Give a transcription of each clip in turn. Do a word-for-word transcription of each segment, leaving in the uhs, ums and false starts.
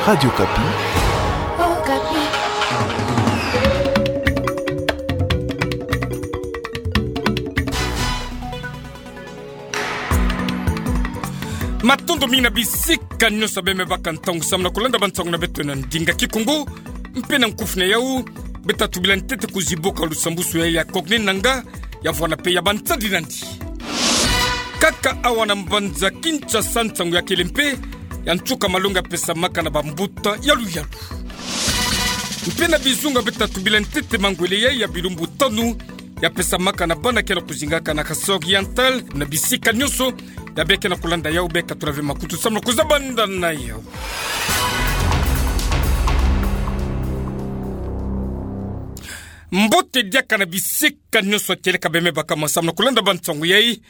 Radio Okapi. Matondo mingi na bisika nyonso beme baka ntangu samu na kulanda bansangu na beto na ndinga Kikongo, mpe na nkufi na yau, beta tubila ntete kuzibuka lusambusu ya, ya Corneille Nangaa, ya vwanda mpe ya bansadi nandi. Kaka awa na mbanza Kinshasa nsangu ya kele mpe ya nsuka malongi ya pesamaka na bambuta ya luyalu. Mpe na bizunga beta tubila ntete mangwele ya, ya bilumbu tanu ya pesamaka na bana ke na kuzingaka na Kasaï Oriental, na bisika nyonso ya beke na kulanda yau, beka tula ve makutu samu na kuzabanda na yau. Mbote diaka na bisika nyonso kieleka beme baka mwa samu na kulanda bansangu yai.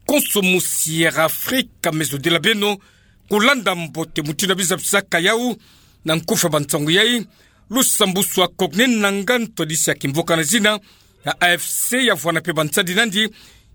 Konso musi Air Afrika me zodila beno kulanda mbote mutindu ya bizabisaka yau. Na nkufi ya bansangu yai, lusambusu ya Corneille Nangaa, ntwadisi ya kimvuka na zina ya A F C, ya vwanda mpe bansadi nandi,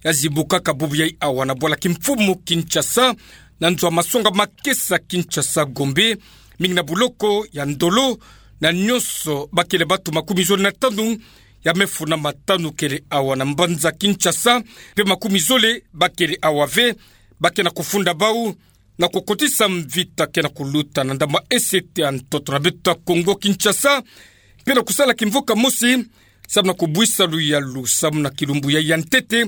ya zibukaka bubu yai awa na bwala kimfumu Kinshasa, na nzo ya masonga makesa Kinshasa Gombe, mingi na buloko ya Ndolo, na nyonso bakele batu makumi zole na tanu ya mefuna matanu kele awa na mbanza Kinshasa, mpe makumi zole bakele awa ve, bake na kufunda bau na kukotisa mvita ke na kuluta na ndambu esete ya ntoto na beto ya Kongo Kinshasa, mpe na kusala kimvuka mosi samu na kubwisa luyalu samu na kilumbu yai ya ntete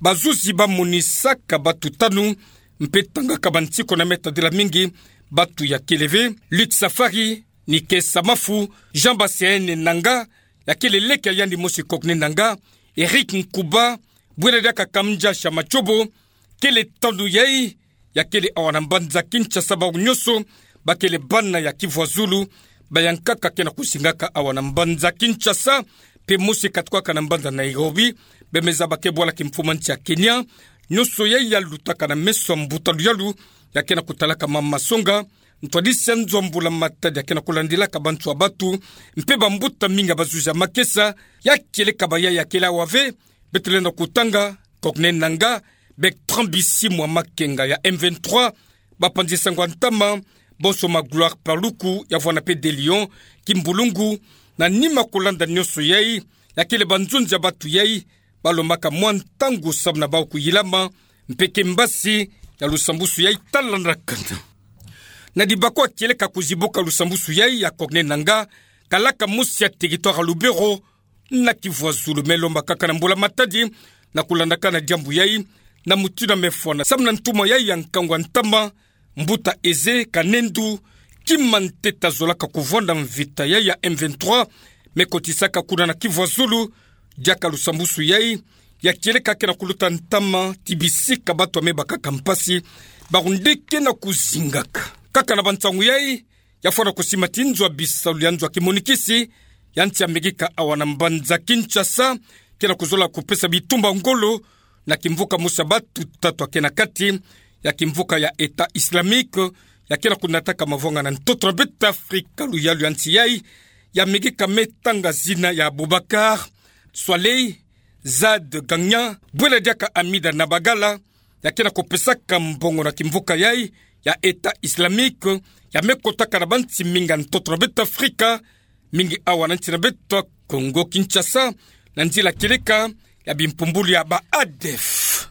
bazuzi bamonisaka batu tanu mpe tangaka bansiku na meta dila mingi batu ya kele ve: Luc Safari, Nike Samafu, Jean Baseene Nangaa, ya kele leke ya yandi mosi Corneille Nangaa, Eric Nkuba, bwela diaka Kamdja Shamatsobo, kele tanu yai ya kele awa na mbanza Kinshasa. Bau nyonso bakele bana ya Kivuazulu, bayankaka ke na kuzingaka awa na mbanza Kinshasa, mpe mosi katukaka na mbanza Nairobi, beme zaba ke bwala kimfumu ya nsi ya Kenya. Nyonso yai ya lutaka na meso ya mbuta luyalu ya ke na kutalaka mama masonga, ntwadisi ya nzo ya mbula matadi ya ke na kulandilaka bantu ya batu, mpe bambuta mingi ya bazuzi ya makesa, ya kieleka baya ya kele awa ve. Beto lenda kutanga Corneille Nangaa, Bertrand Bisimwa, Makenga ya M vingt-trois, bapanzi sango ya ntama, bonso ma Gloire Paluku, ya vwanda mpe De Lion Kimbulungu, na nima kulanda nyonso yai, ya kele banzonzi ya batu yai balombaka mwa ntangu samu na bau kuyilama, mpe ke mbasi ya lusambusu yai talandakana. Na dibako ya kieleka kuzibuka lusambusu yai ya Corneille Nangaa, kalaka mosi ya territoire ya Lubero, na Kivuazulu, me lomba kaka na mbula matadi na kulandakana diambu yai, na mutindu ya mefwana samu na ntumwa yai ya nkangu ya ntama, mbuta Eze Kanendu, kima ntete azolaka kuvwanda mvita yai ya M vingt-trois me kotisaka kuna na Kivuazulu. Diaka lusambusu yai ya kieleka ke na kuluta ntama ti bisika batu ya me bakaka mpasi, bawu nde ke na kuzingaka. Kaka na bansangu yai, ya fwana kusima ti nzo ya bisalu ya nzo ya kimonikisi ya nsi ya Amerika awa na mbanza Kinshasa ke na kuzola kupesa bitumba ngolo na kimvuka mosi ya batu tatu ya ke na kati ya kimvuka ya État islamique, ya ke na kunataka mavwanga na ntoto na beto Afrika luyalu ya nsi yai. Ya Amerika me tanga zina ya Aboubacar Soilé, Zad Gagnan, bwela diaka Hamida Nabagala, ya ke na kupesaka mbongo na kimvuka yai ya État islamique, ya me kotaka na bansi mingi ya ntoto na beto Afrika, mingi awa na nsi na beto Congo Kinshasa, na nzila kieleka ya bimpumbulu ya ba ADF.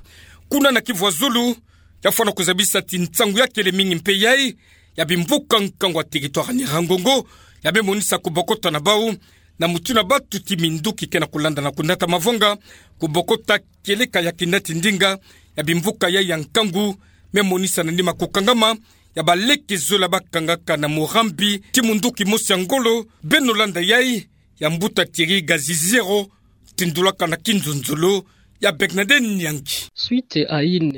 Kuna na Kivu ya Zulu, ya fwana kuzabisa ti nsangu ya kele mingi mpe yai ya bimvuka nkangu ya territoire ya Nyiragongo, ya me monisa kubokota na bau na mutindu ya batu ti minduki ke na kulanda na kunata mavwanga, kubokota kieleka ya kinati ndinga ya bimvuka yai ya nkangu, me monisa na nima kukangama ya baleke zola bakangaka na Murambi ti munduki mosi ya ngolo. Beno landa yai ya mbuta Thierry Gazizero, tindulaka na kinzonzolo ya Bernadette Nyangi.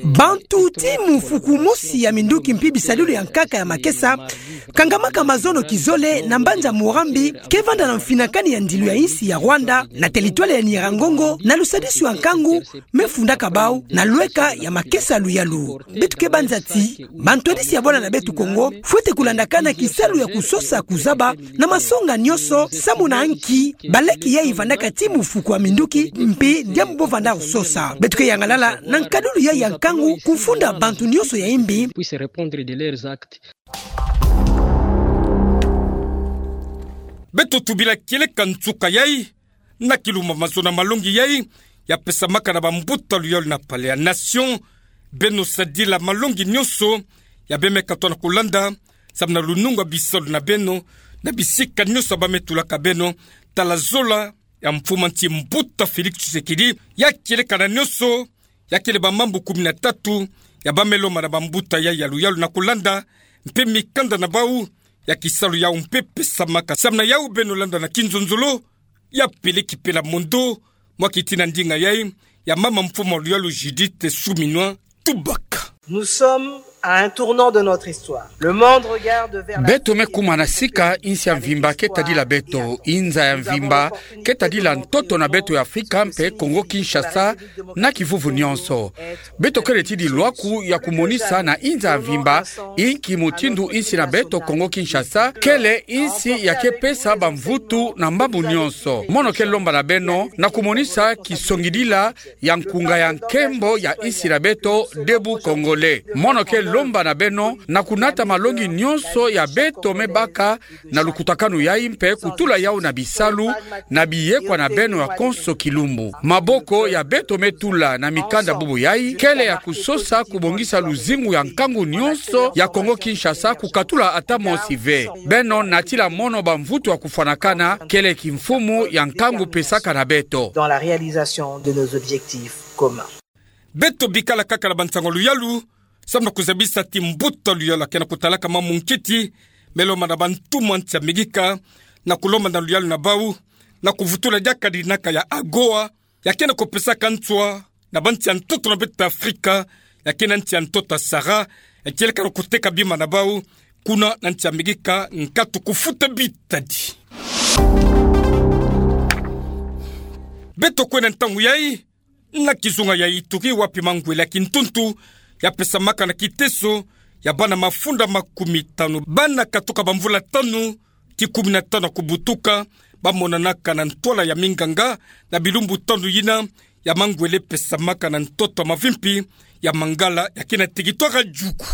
Bantu ti mufuku mosi ya minduki mpi bisadulu ya nkaka ya makesa kangamaka mazono kizole na mbanza Murambi, ke vanda na mfinakani ya ndilu ya insi ya Rwanda, na territoire ya Nyiragongo, na lusadisu ya nkangu me fundaka bau na lweka ya makesa luyalu. Beto ke banza ti bantwadisi ya bwala na beto Kongo fwete kulandakana kisalu ya kusosa kuzaba na masonga nyonso, samu na nki baleke yai vandaka ti mufuku ya minduki, mpi diambu bo vanda kusosa. Beto ke yangalala na nkadulu yai ya nkangu kufunda bantu nyonso ya imbi. Puissent répondre de leurs actes. Beto tubila kieleka nsuka yai, na kilumba mazono malongi yai, ya pesamaka na bambuta luyalu na Palais ya Nation. Beno sadila malongi nyonso ya bemeka tona kulanda, samu na lunungu ya bisalu na beno, na bisika nyonso ya bame tulaka beno, tala zola ya mfumu a nsi mbuta Félix Tshisekedi, ya kieleka na nyonso, ya kele bamambu kumi na tatu, ya bame lomba na bambuta yai ya luyalu na kulanda, mpe mikanda na bau, ya kisalu yau mpe pesamaka. Samu na yau beno landa na kinzonzolo, ya Peleki Pela Mondo, mwa kitina ndinga yai, ya mama mfumu a luyalu Judith Suminwa Tubaka. Nous sommes à un tournant de notre histoire. Le monde regarde vers l'Afrique. Beto me kuma na sika, insi ya mvimba ke tadila beto, inza ya mvimba ke tadila ntoto na beto ya Afrika mpe Congo Kinshasa, na kivuvu nyonso. Beto kele ti dilwaku ya kumonisa na inza ya mvimba inki mutindu insi na beto Congo Kinshasa kele insi ya ke pesa bamvutu na mambu nyonso. Mono ke lomba na beno na kumonisa kisongidila ya nkunga ya nkembo ya insi na beto, Debout Congolais. Mono ke lomba na beno na kunata malongi nyonso ya beto me baka na lukutakanu yai mpe kutula yau na bisalu, na biyekwa na beno ya konso kilumbu. Maboko ya beto me tula na mikanda bubu yai kele ya kusosa kubongisa luzingu ya nkangu nyonso ya Congo Kinshasa, kukatula ata mosi ve. Beno natila mono bamvutu ya kufwanakana, kele kimfumu ya nkangu pesaka na beto. Dans la réalisation de nos objectifs communs. Beto bikala kaka na bansango ya luyalu, samu na kuzabisa ti mbuta luyalu ya ke na kutalaka mamu nkiti, me lomba na bantumwa nsi ya Amerika, na kulomba na luyalu na bau, na kuvutula diaka dinaka ya AGOA, ya ke na kupesaka nswa na bansi ya ntoto na beto ya Afrika, ya ke na nsi ya ntoto ya Sahara, ya kieleka na kuteka bima na bau kuna na nsi ya Amerika, nkatu kufuta bitadi. Beto kwenda ntangu yai, na kizunga ya Ituri, wapi mangwele ya kintuntu ya pesamaka na kiteso ya bana mafunda makumi tanu, bana katuka bamvula tanu ti kumi na tanu ya kubutuka, bamonanaka na ntwala ya minganga na bilumbu tanu yina ya mangwele pesamaka na ntoto ya mavimpi ya Mangala, ya ke na territoire ya Djugu.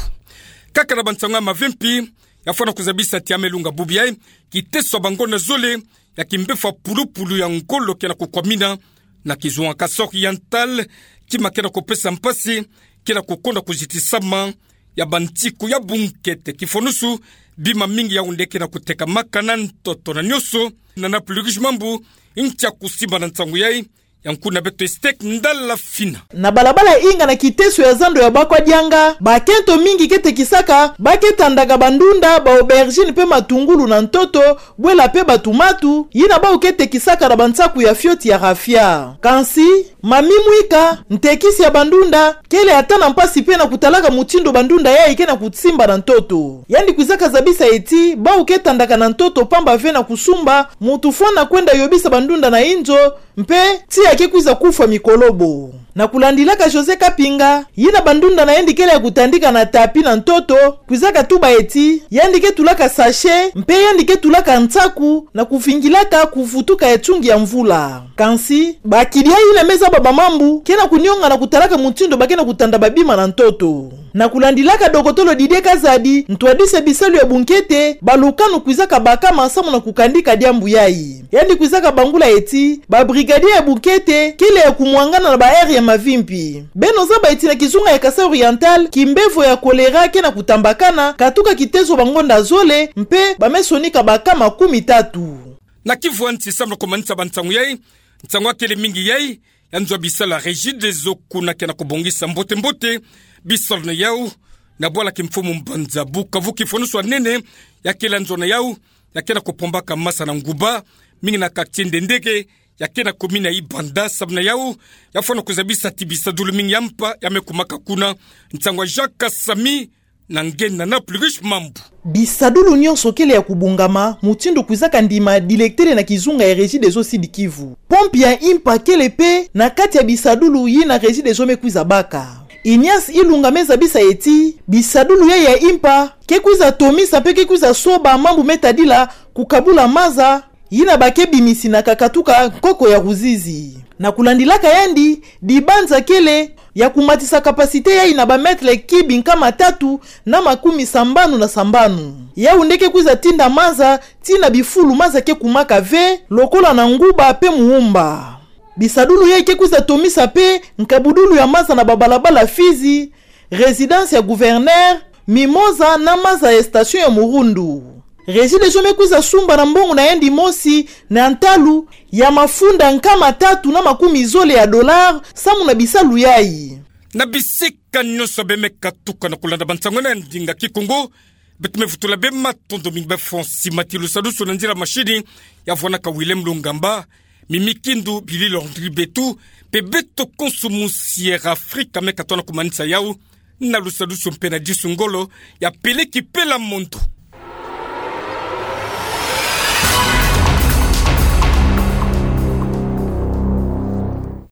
Kaka na bansango ya mavimpi, ya fwana kuzabisa ti ya me lunga bubu yai, kiteso ya bangonda zole ya kimbevo ya pulupulu ya ngolo ke na kukwamina na kizunga Kasaï Oriental, kima ke na kupesa mpasi ke na kukonda kuzitisama ya bantiku ya bunkete. Kifonusu, bima mingi ya unde ke na kutekamaka na ntoto na nyonso. Na Naples Régis Mambu, ntia kusimba na nsangu yai, ya nkuna beto Estek Ndala Fina. Na balabala Inga na kiteso ya zando ya Bakwa Dianga, bakento mingi ke tekisaka, ba ke tandaka bandunda, ba aubergine mpe matungulu na ntoto, bwela mpe batumatu, yina bau ke tekisaka na bansaku ya fioti ya raffia. Kansi, Mamie Mwika, ntekisi ya bandunda, kele ata na mpasi mpe na kutalaka mutindu bandunda yai ke na kusimba na ntoto. Yandi kwizaka zabisa ti, bau ke tandaka na ntoto pamba ve na kusumba, muntu fwana kwenda yobisa bandunda na inzo, mpe tiya ke kwiza kufwa mikolobo. Na kulandilaka José Kapinga, yina bandunda na yandi kele ya kutandika na tapis na ntoto, kwizaka tuba ti, yandi ke tulaka sachet, mpe yandi ke tulaka nsaku, na kuvingilaka kuvutuka ya nsungi ya mvula. Kansi, bakidi yina me zaba bamambu, ke na kunionga na kutalaka mutindu ba ke na kutanda babima na ntoto. Na kulandilaka dokotolo Didier Kazadi, ntwadisi ya bisalu ya bunkete, balukanu kwizaka bakama samu na kukandika diambu yai. Yandi kwizaka bangula ti, ba brigadier ya bunkete, kele ya kumwangana na ba aire ya mavimpi. Beno zaba ti na kizunga ya Kasaï Oriental, kimbevo ya choléra ke na kutambakana, katuka kiteso bangonda zole, mpe ba me sonika bakama kumi tatu. Na Kivu ya nsi samu na kumanisa bansangu yai, nsangu ya kele mingi yai, ya nzo ya bisalu ya Regideso kuna ke na kubongisa mbote-mbote bisalu na yau, na bwala kimfumu mbanza Bukavu. Kifonusu ya nene ya kele ya nzo na yau, ya ke na kupombaka masa na nguba mingi na quartier Ndendeke, ya ke na commune ya Ibanda. Samu na yau, ya fwana kuzabisa ti bisadulu mingi ya mpa ya me kumaka kuna. Nsangu ya Jacques Samy, na nge na Naples Régis Mambu. Bisadulu nyonso kele ya kubongama, mutindu kwizaka ndima dilektele na kizunga ya Regideso Sud-Kivu. Pompe ya Impa kele mpe na kati ya bisadulu yina Regideso me kwiza baka. Ignace Ilunga me zabisa ti, bisadulu yai ya Impa ke kwiza tomisa mpe ke kwiza soba mambu me tadila kukabula maza, yina ba ke bimisi na kakatuka nkoko ya Ruzizi. Na kulandilaka yandi, dibanza kele ya kumatisa capacité yayi na ba mètre cube nkama tatu na makumi sambanu na sambanu. Yau nde ke kwiza tinda maza tii na bifulu maza ke kumaka ve, lokola na Nguba pe Muhumba. Bisadulu yayi ke kwiza tomisa pe nkabudulu ya maza na babalabala Fizi, résidence ya gouverneur, Mimosa na maza ya station ya Murundu. Regideso me kwiza sumba na mbongo na yandi mosi na ntalu ya mafunda nkama tatu na makumi zole ya dollars samu na bisalu yayi. Na bisika nyonso beno me katuka na kulanda bansango na ndinga Kikongo, beto me vutula beno matondo mingi. Beno fweti mati lusadusu na nzila mashini ya vwanaka Willem Lungamba, Mimi Kindu, Billy Landry Betu, pe beto konso mu Sierra Africa me katona kumanisa yau na lusadusu mpe na disu ngolo ya Peleki Pela Mondo.